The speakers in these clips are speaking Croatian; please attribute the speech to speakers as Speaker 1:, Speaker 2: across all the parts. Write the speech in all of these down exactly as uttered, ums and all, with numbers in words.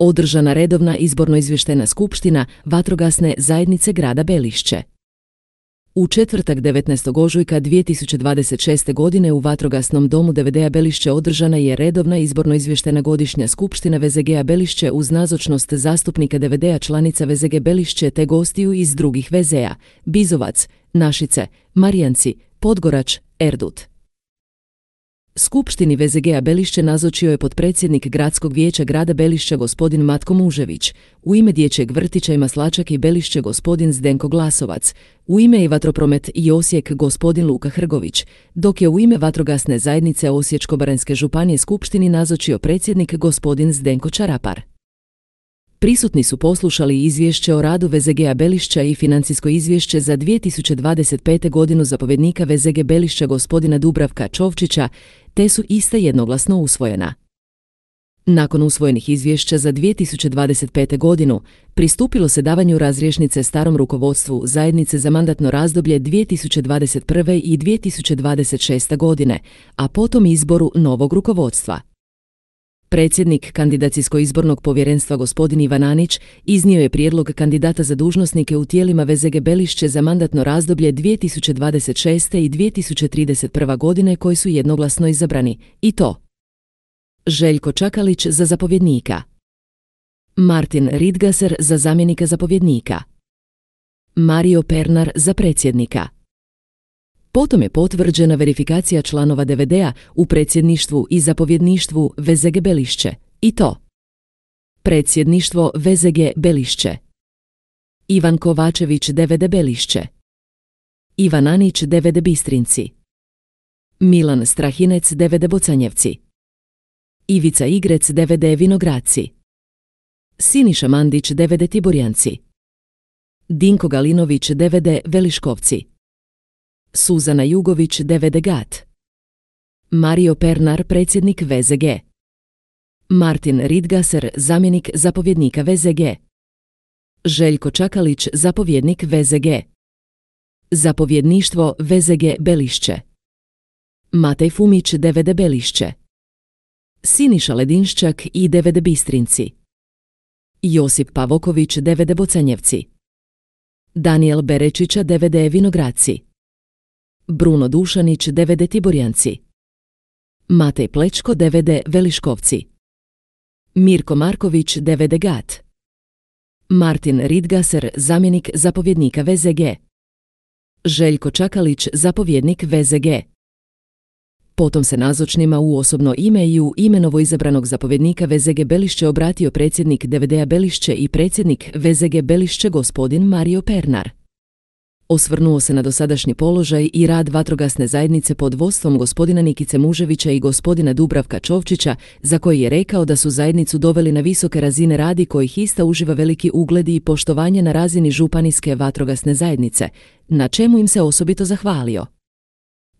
Speaker 1: održana redovna izborno-izvještajna skupština Vatrogasne zajednice grada Belišće. U četvrtak devetnaestog ožujka dvije tisuće dvadeset šeste. godine u Vatrogasnom domu D V D-a Belišće održana je redovna izborno-izvještajna godišnja skupština V Z G-a Belišće uz nazočnost zastupnika D V D-a članica V Z G Belišće te gostiju iz drugih V Z-a: Bizovac, Našice, Marijanci, Podgorač, Erdut. Skupštini V Z G-a Belišće nazočio je potpredsjednik Gradskog vijeća grada Belišća gospodin Matko Mužević, u ime Dječjeg vrtića i Maslačak i Belišće gospodin Zdenko Glasovac, u ime i Vatropromet i Osijek gospodin Luka Hrgović, dok je u ime Vatrogasne zajednice Osječko-baranjske županije skupštini nazočio predsjednik gospodin Zdenko Čarapar. Prisutni su poslušali izvješće o radu V Z G-a Belišća i financijsko izvješće za dvije tisuće dvadeset pete. godinu zapovjednika V Z G Belišća gospodina Dubravka Čovčića, te su ista jednoglasno usvojena. Nakon usvojenih izvješća za dvije tisuće dvadeset pete. godinu, pristupilo se davanju razrješnice starom rukovodstvu zajednice za mandatno razdoblje dvije tisuće dvadeset prve. i dvije tisuće dvadeset šeste. godine, a potom izboru novog rukovodstva. Predsjednik Kandidacijsko-izbornog povjerenstva gospodin Ivan Anić iznio je prijedlog kandidata za dužnosnike u tijelima V Z G Belišće za mandatno razdoblje dvije tisuće dvadeset šeste. i dvije tisuće trideset prve. godine koji su jednoglasno izabrani, i to: Željko Čakalić za zapovjednika, Martin Ridgaser za zamjenika zapovjednika, Mario Pernar za predsjednika. Potom je potvrđena verifikacija članova D V D-a u predsjedništvu i zapovjedništvu V Z G Belišće, i to: predsjedništvo V Z G Belišće, Ivan Kovačević D V D Belišće, Ivan Anić D V D Bistrinci, Milan Strahinec D V D Bocanjevci, Ivica Igrec D V D Vinogradci, Siniša Mandić D V D Tiborjanci, Dinko Galinović D V D Veliškovci, Suzana Jugović D V D Gat, Mario Pernar predsjednik V Z G, Martin Ridgaser zamjenik zapovjednika V Z G, Željko Čakalić zapovjednik V Z G, zapovjedništvo V Z G Belišće, Matej Fumić D V D Belišće, Siniša Ledinščak i D V D Bistrinci, Josip Pavoković D V D Bocanjevci, Daniel Berečića D V D Vinogradci, Bruno Dušanić D V D Tiborjanci, Matej Plečko D V D Veliškovci, Mirko Marković D V D Gat, Martin Ridgaser zamjenik zapovjednika V Z G, Željko Čakalić zapovjednik V Z G. Potom se nazočnima u osobno ime i u ime novoizabranog zapovjednika V Z G Belišće obratio predsjednik D V D-a Belišće i predsjednik V Z G Belišće gospodin Mario Pernar. Osvrnuo se na dosadašnji položaj i rad vatrogasne zajednice pod vodstvom gospodina Nikice Muževića i gospodina Dubravka Čovčića, za koji je rekao da su zajednicu doveli na visoke razine radi kojih ista uživa veliki ugled i poštovanje na razini županijske vatrogasne zajednice, na čemu im se osobito zahvalio.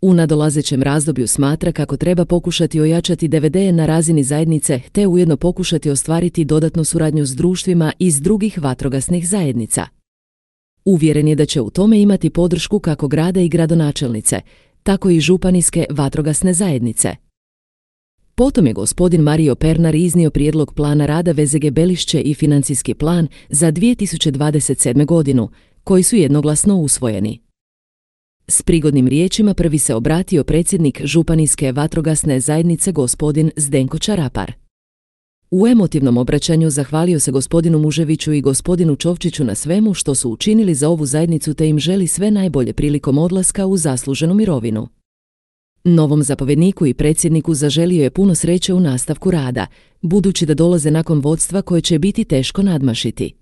Speaker 1: U nadolazećem razdoblju smatra kako treba pokušati ojačati D V D na razini zajednice te ujedno pokušati ostvariti dodatnu suradnju s društvima iz drugih vatrogasnih zajednica. Uvjeren je da će u tome imati podršku kako grada i gradonačelnice, tako i županijske vatrogasne zajednice. Potom je gospodin Mario Pernar iznio prijedlog plana rada V Z G Belišće i financijski plan za dvije tisuće dvadeset sedme. godinu, koji su jednoglasno usvojeni. S prigodnim riječima prvi se obratio predsjednik županijske vatrogasne zajednice gospodin Zdenko Čarapar. U emotivnom obraćanju zahvalio se gospodinu Muževiću i gospodinu Čovčiću na svemu što su učinili za ovu zajednicu te im želi sve najbolje prilikom odlaska u zasluženu mirovinu. Novom zapovjedniku i predsjedniku zaželio je puno sreće u nastavku rada, budući da dolaze nakon vodstva koje će biti teško nadmašiti.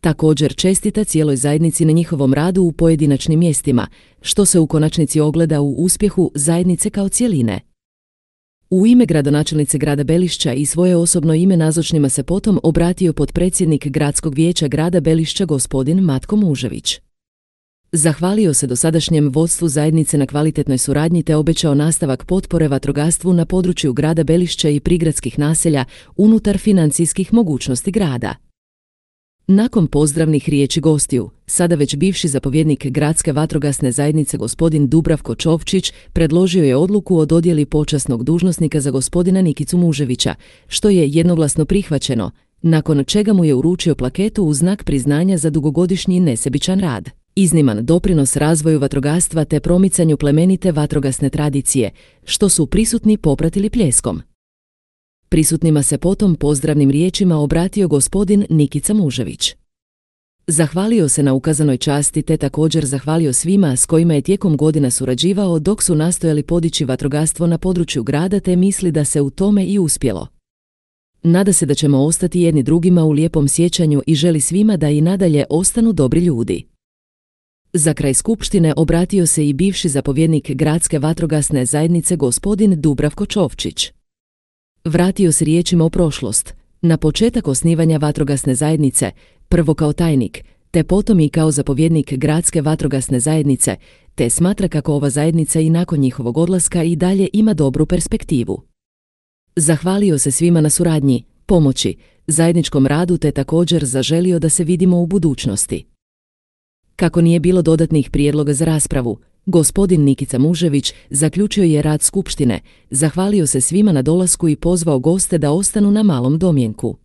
Speaker 1: Također čestita cijeloj zajednici na njihovom radu u pojedinačnim mjestima, što se u konačnici ogleda u uspjehu zajednice kao cjeline. U ime gradonačelnice grada Belišća i svoje osobno ime nazočnima se potom obratio potpredsjednik Gradskog vijeća grada Belišća gospodin Matko Mužević. Zahvalio se dosadašnjem vodstvu zajednice na kvalitetnoj suradnji te obećao nastavak potpore vatrogastvu na području grada Belišća i prigradskih naselja unutar financijskih mogućnosti grada. Nakon pozdravnih riječi gostiju, sada već bivši zapovjednik Gradske vatrogasne zajednice gospodin Dubravko Čovčić predložio je odluku o dodjeli počasnog dužnosnika za gospodina Nikicu Muževića, što je jednoglasno prihvaćeno, nakon čega mu je uručio plaketu u znak priznanja za dugogodišnji nesebičan rad, izniman doprinos razvoju vatrogastva te promicanju plemenite vatrogasne tradicije, što su prisutni popratili pljeskom. Prisutnima se potom pozdravnim riječima obratio gospodin Nikica Mužević. Zahvalio se na ukazanoj časti te također zahvalio svima s kojima je tijekom godina surađivao dok su nastojali podići vatrogastvo na području grada te misli da se u tome i uspjelo. Nada se da ćemo ostati jedni drugima u lijepom sjećanju i želi svima da i nadalje ostanu dobri ljudi. Za kraj skupštine obratio se i bivši zapovjednik Gradske vatrogasne zajednice gospodin Dubravko Čovčić. Vratio se riječima u prošlost, na početak osnivanja vatrogasne zajednice, prvo kao tajnik, te potom i kao zapovjednik Gradske vatrogasne zajednice, te smatra kako ova zajednica i nakon njihovog odlaska i dalje ima dobru perspektivu. Zahvalio se svima na suradnji, pomoći, zajedničkom radu te također zaželio da se vidimo u budućnosti. Kako nije bilo dodatnih prijedloga za raspravu, gospodin Nikica Mužević zaključio je rad skupštine, zahvalio se svima na dolasku i pozvao goste da ostanu na malom domjenku.